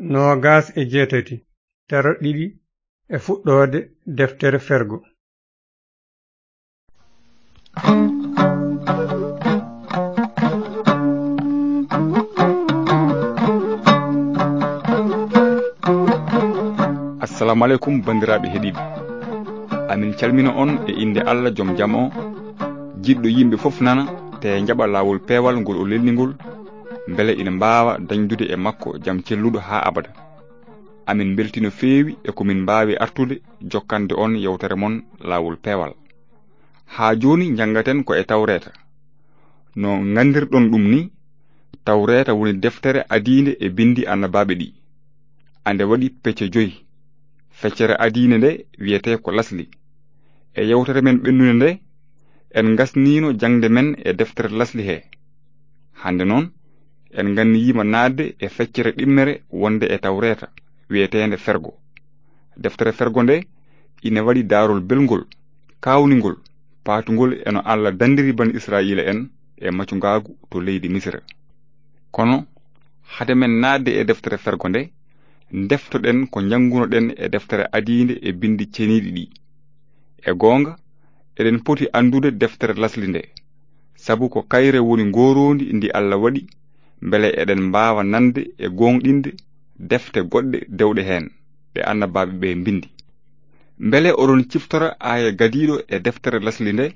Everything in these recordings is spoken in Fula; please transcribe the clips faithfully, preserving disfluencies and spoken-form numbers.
noogas e jeetati, taro ɗiɗi e fuɗɗoode deftere Fergo. Assalamu aleykum, banndiraaɓe heɗiiɓe. Amin calmina on e innde Allah, jom jam o, jiɗɗo yimɓe fof nana, te njaɓa laawol peewal ngol o lelni ngol, mbele ina mbaawa dañdude e makko jam celluɗo haa abada. Amin mbelti no feewi e ko min mbaawi artude jokkande on yewtere mon laawol peewal. Haa jooni, njanngaten ko e Tawreeta. No nganndirɗon ɗum ni, Tawreeta woni deftere adiinde e binndi annabaaɓe ɗi. Ande waɗi pecce joyi. Feccere adiinde nde wiyetee ko Lasli. E yewtere men ɓennunde nde, en ngasniino jaŋde men e deftere Lasli he. Hannde noon, en nganniyiima naatde e feccere ɗimmere wonde e Tawreeta, wiyeteende Fergo. Deftere Fergo nde ina waɗi daarol belngol, kaawningol, paatungol e no Allah danndiri bani Israa'iila en e macungaagu to leydi Misira. Kono, hade men naatde e deftere Fergo nde, ndeftoɗen ko njanngunoɗen e deftere adiinde e binndi ceniiɗi ɗi. E goonga, eɗen poti anndude deftere Lasli nde, sabu ko kayre woni ngooroondi ndi Allah waɗi, mbele eɗen mbaawa nande e gooŋɗinde defte goɗɗe dewɗe heen, ɗe annabaaɓe ɓe mbinndi. Mbele oɗon ciftora aaya gadiiɗo e deftere Lasli nde?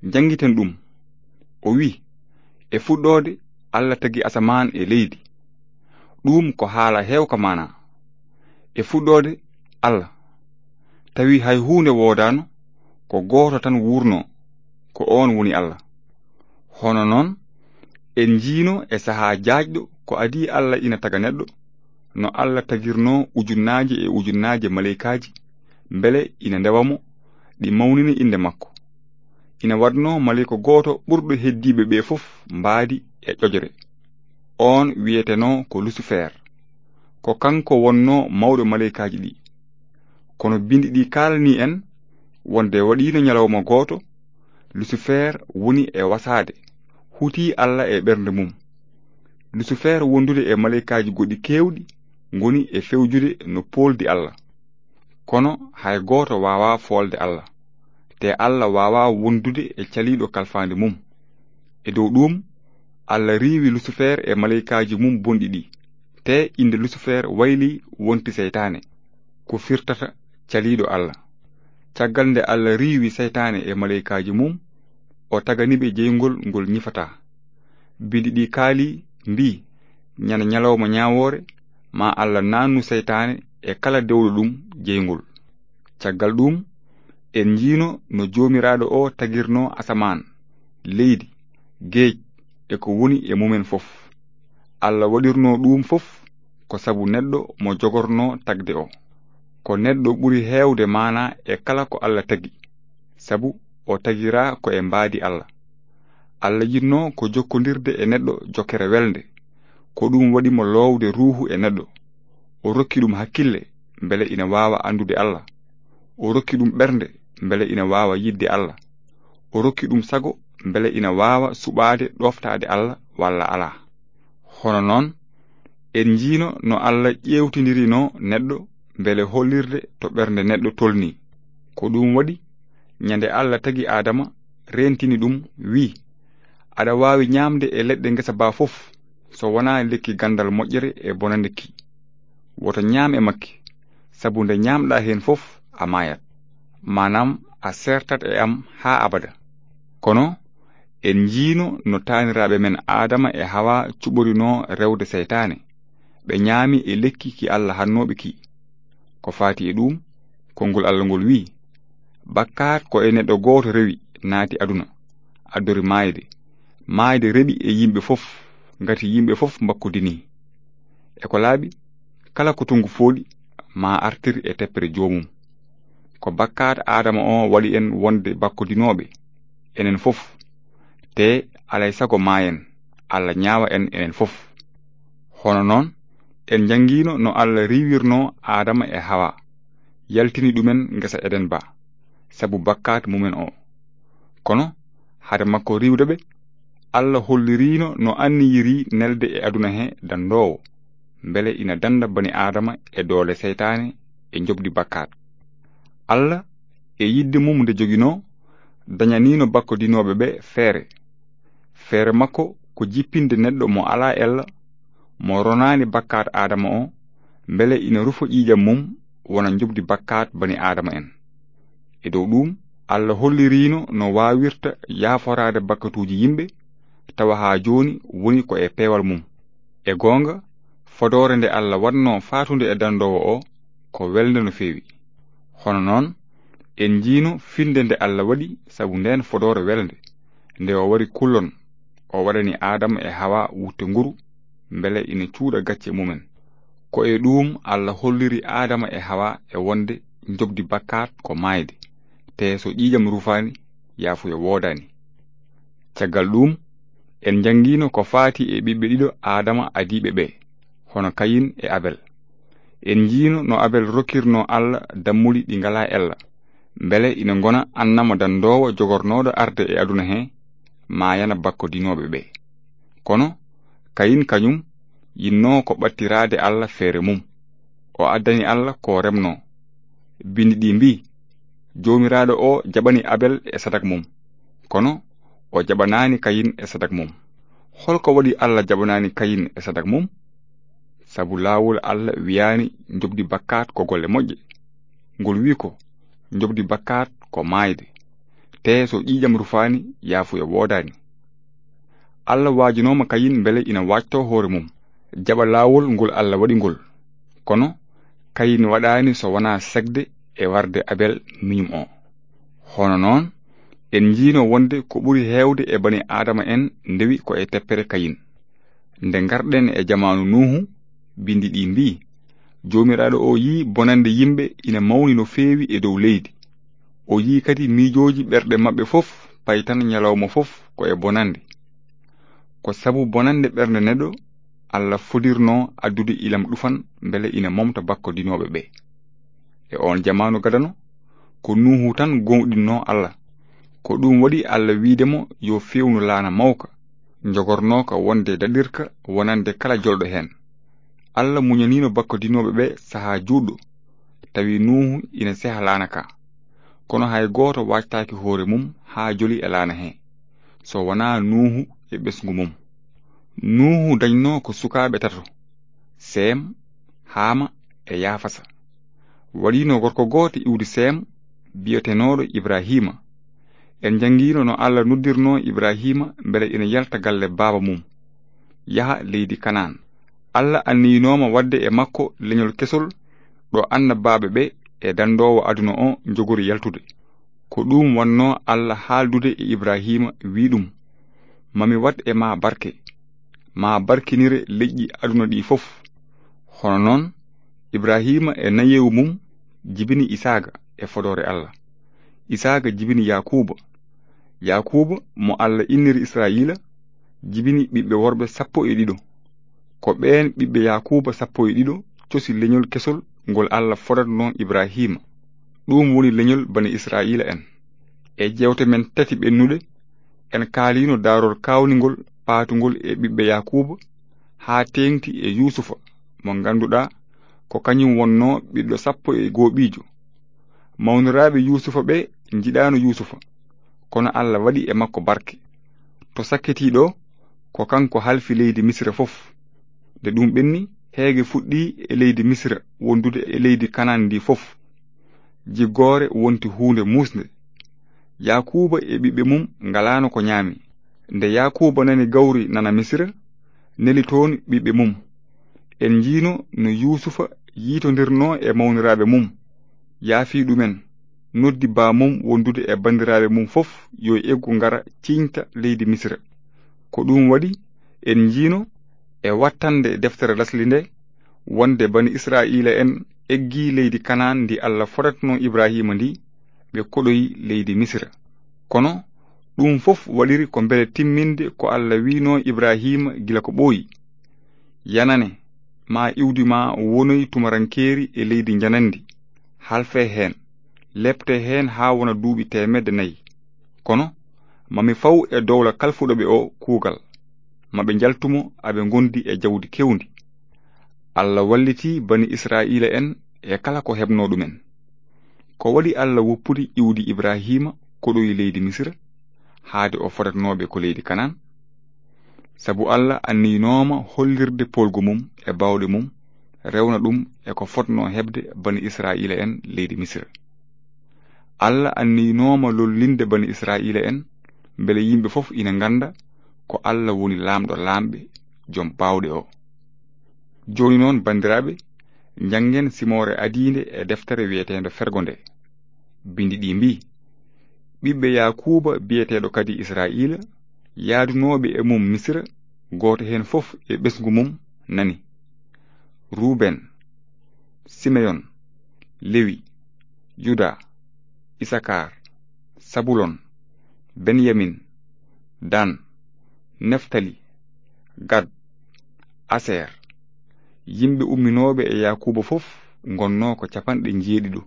Njanngiten ɗum. O wi, "E fuɗɗoode, Allah tagi asamaan e leydi." Ɗum ko haala heewka maanaa. E fuɗɗoode, Allah. Tawi hay huunde woodaano, ko gooto tan wuurnoo, ko oon woni Allah. Hono noon, en njiino e sahaa jaajɗo ko adii Allah ina taga neɗɗo, no Allah tagirnoo ujunnaaje e ujunnaaje maleykaaji, mbele ina ndewa mo, ɗi mawnina innde makko. Ina waɗnoo maleyka gooto ɓurɗo heddiiɓe ɓe fof mbaadi e ƴoƴre. Oon wiyetenoo ko Lusifer. Ko kanko wonnoo mawɗo maleykaaji ɗi. Kono binndi ɗi kaalanii en wonde waɗiino ñalawma gooto, Lusifer woni e wasaade, hutii Allah e ɓernde mum. Lusifer wondude e maleykaaji goɗɗi keewɗi ngoni e fewjude no pooldi Allah. Kono hay gooto waawaa foolde Allah, te Allah waawaa wondude e caliiɗo kalfaandi mum. E dow ɗuum, Allah riiwi Lusifer e maleykaaji mum bonɗi ɗi, te innde Lusifer waylii wonti seytaane, ko firtata caliiɗo Allah. Caggal nde Allah riiwi seytaane e maleykaaji mum, o tagani ɓe jeyngol ngol ñifataa. Binndi ɗi kaali, mbii, "Ñande ñalawma ñaawoore, ma Allah naannu seytaane e kala dewɗo ɗum jeyngol." Caggal ɗum, en njiino no Joomiraaɗo o tagirnoo asamaan, leydi, geej, e ko woni e mumen fof. Allah waɗirnoo ɗum fof ko sabu neɗɗo mo jogornoo tagde o. Ko neɗɗo ɓuri heewde maanaa e kala ko Allah tagi, sabu o tagiraa ko e mbaadi Allah. Allah yiɗnoo ko jokkondirde e neɗɗo jokkere welnde. Ko ɗum waɗi mo loowde ruuhu e neɗɗo. O rokki ɗum hakkille mbele ina waawa anndude Allah. O rokki ɗum ɓernde mbele ina waawa yiɗde Allah. O rokki ɗum sago mbele ina waawa suɓaade ɗooftaade Allah walla alaa. Hono noon, en njiino no Allah ƴeewtindirinoo neɗɗo mbele hollirde to ɓernde neɗɗo tolnii. Ko ɗum waɗi, ñande Allah tagi Aadama, reentini ɗum, wii, "Aɗa waawi ñaamde e leɗɗe ngesa baa fof, so wonaa lekki ganndal moƴƴere e bonande ki. Woto ñaam e makki, sabu nde ñaamɗaa heen fof, a maayat. Maanaam, a seertat e am haa abada." Kono en njiino no taaniraaɓe men Aadama e Hawa cuɓorinoo rewde seytaane. Ɓe ñaami e lekki ki Allah hannooɓe ki. Ko faati e ɗum, konngol Allah ngol wii, "Bakkaat ko e neɗɗo gooto rewi, naati aduna, addori maayde. Maayde reɓi e yimɓe fof, ngati yimɓe fof mbakkodinii. E ko laaɓi, kala ko tongu fooɗi, ma artir e teppere joomum." Ko bakkaat Aadama o waɗi en wonde bakkodinooɓe, enen fof. Te alay sago maayen, Allah ñaawa en enen fof. Hono noon, en njanngiino no Allah riiwirnoo Aadama e Hawa, yaltini ɗumen ngesa Eden ba, sabu bakkaat mumen o. Kono, hade makko riiwde ɓe, Allah holliriino no anniyiri nelde e aduna he danndoowo. mbele ina dannda bani Aadama e doole seytaane e njoɓdi bakkaat. Alla, e yiɗde mum nde joginoo, dañaniino bakkodinooɓe ɓe feere. Feere makko ko jippinde neɗɗo mo alaa ella, mo ronaani bakkaat Aadama o, mbele ina rufa ƴiiƴam mum wona njoɓdi bakkaat bani Aadama en. E dow ɗuum, Alla holliriino no waawirta yaaforaade bakkatuuji yimɓe, tawa haa jooni woni ko e peewal mum. E goonga, fodoore nde Alla waɗnoo faatude e dandoowo o, ko welnde no feewi. Hono noon, en njiino finnde nde Alla waɗi sabu ndeen fodoore welnde, nde o wari kullon, o waɗani Aadama e Hawa wutte nguru, mbele ina cuuɗa gacce mumen. Ko e ɗuum Alla holliri Aadama e Hawa e wonde njoɓdi bakkaat ko maayde, tee so ƴiiƴam rufaani, yaafuya woodaani. Caggal ɗuum, en njanngiino ko faati e ɓiɓɓe ɗiɗo Aadama adiiɓe ɓe, hono Kayin e Abel. En njiino no Abel rokkirnoo Alla dammuli ɗi ngalaa ella, mbele ina ngona annama danndoowo jogornooɗo arde e aduna he, maayana bakkodinooɓe ɓe. Kono Kayin kañum yinnoo ko ɓattiraade Alla feere mum. O addani Alla ko remnoo. Binndi ɗi mbii, Joomiraaɗo o jaɓani Abel e sadak mum, kono o jaɓanaani Kayin e sadak mum. Hol ko waɗi Alla jaɓanaani Kayin e sadak mum? Sabu laawol Alla wiyaani njoɓdi bakkaat ko golle moƴƴe. Ngol wii ko, njoɓdi bakkaat ko maayde, tee so ƴiiƴam rufaani, yaafuya woodaani. Alla waajinooma Kayin mbele ina waajtoo hoore mum, jaɓa laawol ngol Alla waɗi ngol. Kono Kayin waɗaani so wonaa sekde e warde Abel miñum o. Hono noon, en njiino wonde ko ɓuri heewde e bani Aadama en ndewi ko e teppere Kayin. Nde ngarɗen e jamaanu Nuuhu, binndi ɗi mbii, Joomiraaɗo o yii bonannde yimɓe ina mawni no feewi e dow leydi. O yii kadi miijooji ɓerɗe maɓɓe fof, pay tan ñalawma fof ko e bonannde. Ko sabu bonannde ɓernde neɗɗo, Alla fodirnoo addude ilam ɗufan mbele ina momta bakkodinooɓe ɓe. E oon jamaanu gadano, ko Nuuhu tan gooŋɗinnoo Alla. Ko ɗuum waɗi Alla wiide mo yo feewnu laana mawka, njogornooka wonde daɗirka wonande kala jolɗo heen. Alla muñaniino bakkodinooɓe ɓe sahaa juutɗo, tawi Nuuhu ina seha laana ka. Kono hay gooto waajtaaki hoore mum haa joli e laana he, so wonaa Nuuhu e ɓesngu mum. Nuuhu dañnoo ko sukaaɓe tato, Seem, Haama e Yaafasa. Waɗiino gorko gooto iwdi Seem, biyetenooɗo Ibrahiima. En njanngiino no Alla noddirnoo Ibrahiima mbele ina yalta galle baaba mum, yaha leydi Kanaan. Alla anniyinooma waɗde e makko leñol kesol ɗo annabaaɓe ɓe e danndoowo aduna o njogori yaltude. Ko ɗuum wonnoo Alla haaldude e Ibrahiima, wii ɗum, "Ma mi waɗ e maa barke, ma barkinire leƴƴi aduna ɗi fof." Hono noon, Ibrahiima e nayeewu mum jibini Isaaga e fodoore Alla. Isaaga jibini Yaakuuba. Yaakuuba, mo Alla inniri Israa'iila, jibini ɓiɓɓe worɓe sappo e ɗiɗo. Ko ɓeen ɓiɓɓe Yaakuuba sappo e ɗiɗo cosi leñol kesol ngol Alla fodatnoo Ibrahiima. Ɗuum woni leñol bani Israa'iila en. E jeewte men tati ɓennuɗe, en kaaliino daarol kaawningol paatungol e ɓiɓɓe Yaakuuba, haa teeŋti e Yuusufa, mo ngannduɗaa ko kañum wonnoo ɓiɗɗo sappo e gooɓiijo. Mawniraaɓe Yuusufa ɓe njiɗaano Yuusufa, kono Alla waɗi e makko barke. To sakkitii ɗo, ko kanko halfi leydi Misira fof. Nde ɗum ɓenni, heege fuɗɗii e leydi Misira wondude e leydi Kanaan ndi fof. Jiggoore wonti huunde muusnde. Yaakuuba e ɓiɓɓe mum ngalaano ko ñaami. Nde Yaakuuba nani gawri nana Misira, neli toon ɓiɓɓe mum. En njiino no Yuusufa yiitondirnoo e mawniraaɓe mum, yaafii ɗumen, noddi baamum wondude e banndiraaɓe mum fof yo eggu ngara ciiñta leydi Misira. Ko ɗum waɗi en njiino e wattande deftere lasli nde wonde bani Israa'iila en eggii leydi Kanaan ndi Alla fodatnoo Ibrahiima ndi, ɓe koɗoyi leydi Misira. Kono ɗum fof waɗiri ko mbele timminde ko Alla wiinoo Ibrahiima gila ko ɓooyi. Yanane, ma iwdi ma wonoy tumarankeeri e leydi njananndi, halfe heen, lepte heen haa wona duuɓi teemedde nayi. Kono ma mi faw e dowla kalfuɗo ɓe o kuugal, ma ɓe njaltu mo aɓe ngondi e jawdi kewndi. Allah walliti bani Isra'iila'en e kala ko heɓnoo ɗum'en. Ko waɗi Allah woppude iwdi Ibrahiima koɗoyi leydi Misira, haade o fodatnooɓe ko leydi Kanaan? Sabu Allah anniynooma hollirde poolgu mum e baawɗe mum, rewna ɗum e ko fotnoo heɓde bani Isra'iila'en leydi Misira. Allah anniynooma lollinde bani Isra'iila'en, mbele yimɓe fof ina ngannda ko Allah woni Laamɗo laamɓe, Jom baawɗe o. Jooni noon, banndiraaɓe, njanngen simoore adiinde e deftere wiyeteende Fergo nde. Binndi ɗi mbii, ɓiɓɓe Yaakuuba biyeteeɗo kadi Isra'iila, yaadunooɓe e mum Misira, gooto heen fof e ɓesngu mum nani. Ruben, Simeyon, Lewi, Yuda, Isakar, Sabulon, Benyamin, Dan, Neftali, Gad, Aser. Yimɓe umminooɓe e Yaakuuba fof ngonnoo ko capanɗe njeeɗiɗo.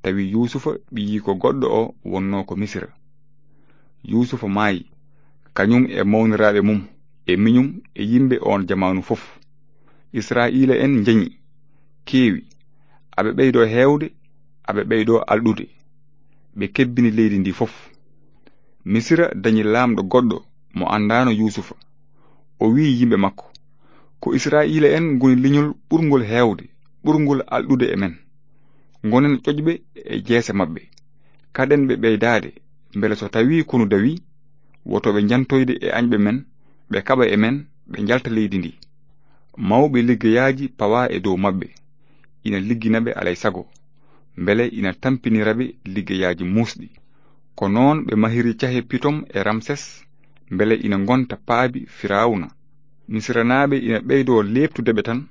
Tawi Yuusufa, ɓiyiiko goɗɗo o, wonnoo ko Misira. Yuusufa maayi, kañum e mawniraaɓe mum, e miñum e yimɓe oon jamaanu fof. Isra'iila'en njañi, keewi, aɓe ɓeydoo heewde, aɓe ɓeydoo alɗude. Ɓe kebbini leydi ndi fof. Misira dañi laamɗo goɗɗo mo anndaano Yuusufa. O wi'i yimɓe makko, "Ko Isra'iila'en ngoni leñol ɓurngol heewde, ɓurngol alɗude e men. Ngonen ƴoƴɓe e jeese maɓɓe. Kaɗen ɓe ɓeydaade, mbele so tawii konu dawii, woto ɓe njantoyde e añɓe men, ɓe kaɓa e men, ɓe njalta leydi ndi." Mawɓe liggeyaaji pawaa e dow maɓɓe, ina liggina ɓe alay sago, mbele ina tampinira ɓe liggeyaaji muusɗi. Ko noon ɓe mahiri cahe Pitom e Ramses, mbele ina ngonta paabi Firawna. Misiranaaɓe ina ɓeydoo leeptude ɓe tan,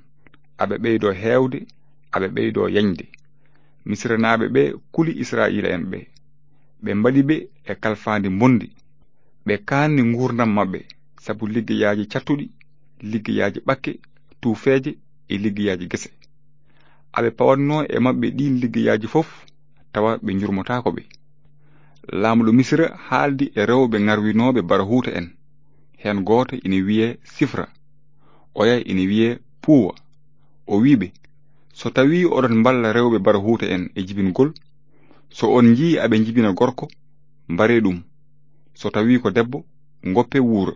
aɓe ɓeydoo heewde, aɓe ɓeydoo yañde. Misiranaaɓe ɓe kuli Isra'iila'en ɓe. Ɓe mbaɗi ɓe e kalfaandi mbondi. Ɓe kaanni nguurndam maɓɓe sabu liggeyaaji cattuɗi, liggeyaaji ɓakke, tuufeeje e liggeyaaji gese. Aɓe pawatnoo e maɓɓe ɗiin liggeyaaji fof, tawa ɓe njurmotaako ɓe. Laamɗo Misira haaldi e rewɓe ŋarwinooɓe barahuuta en. Heen gooto ina wiyee Sifra, oya ina wiyee Puuwa. O wi'i ɓe, "So tawii oɗon mballa rewɓe barahuuta en e jibingol, so on njii aɓe njibina gorko, mbaree ɗum. So tawii ko debbo, ngoppee wuura."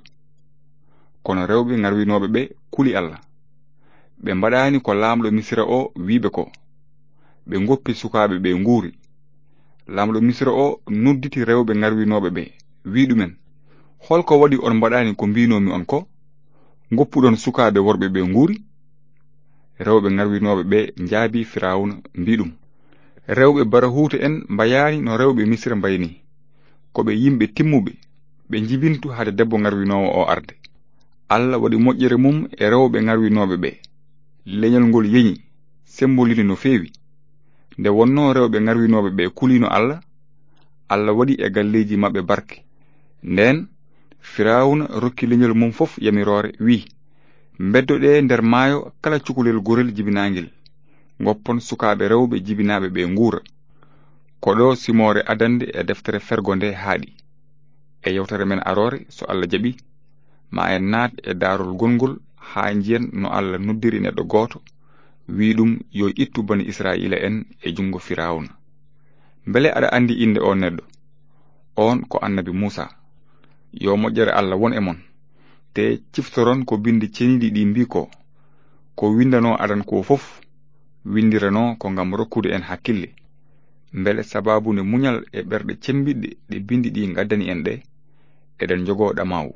Kono rewɓe ŋarwinooɓe ɓe kuli Allah. Ɓe mbaɗaani ko laamɗo Misira o wi'i ɓe ko. Ɓe ngoppi sukaaɓe ɓe nguuri. Laamɗo Misira o nodditi rewɓe ŋarwinooɓe ɓe, wi'i ɗumen, "Holko waɗi on mbaɗaani ko mbiinoomi on ko? Ngoppuɗon sukaaɓe worɓe ɓe nguuri?" Rewɓe ŋarwinooɓe ɓe njaabii Firawna, mbii ɗum, "Rewɓe barahuuta en mbayaani no rewɓe Misira mbayi ni. Ko ɓe yimɓe timmuɓe, ɓe njibintu hade debbo ŋarwinoowo o arde." Allah waɗi moƴƴere mum e rewɓe ŋarwinooɓe ɓe. Leñol ngol yeñi, sembolini no feewi. Nde wonnoo rewɓe ŋarwinooɓe ɓe kuliino Allah, Allah waɗi e galleeji maɓɓe barke. Ndeen, Firawna rokki leñol mum fof yamiroore, wi'i, "Mbeddoɗee nder maayo kala cukalel gorel jibinaangel. Ngoppon sukaaɓe rewɓe jibinaaɓe ɓe nguura." Ko ɗo simoore adannde e deftere Fergo nde haaɗi. E yewtere men aroore, so Allah jaɓi, ma en naat e daarol gongol haa njiyen no Allah noddiri neɗɗo gooto, wi'i ɗum yo ittu bani Isra'iila en e junngo Firawna. Mbele aɗa anndi innde oon neɗɗo? Oon ko annabi Muusa. Yo moƴƴere Allah won e mon. Te ciftoron ko binndi ceniiɗi ɗi mbii ko. Ko winndanoo adan ko fof, winndiranoo ko ngam rokkude en hakkille. Mbele sabaabu nde muñal e ɓerɗe cemmbiɗɗe ɗe binndi ɗi ngaddani en ɗe, eɗen njogoo ɗamaawu.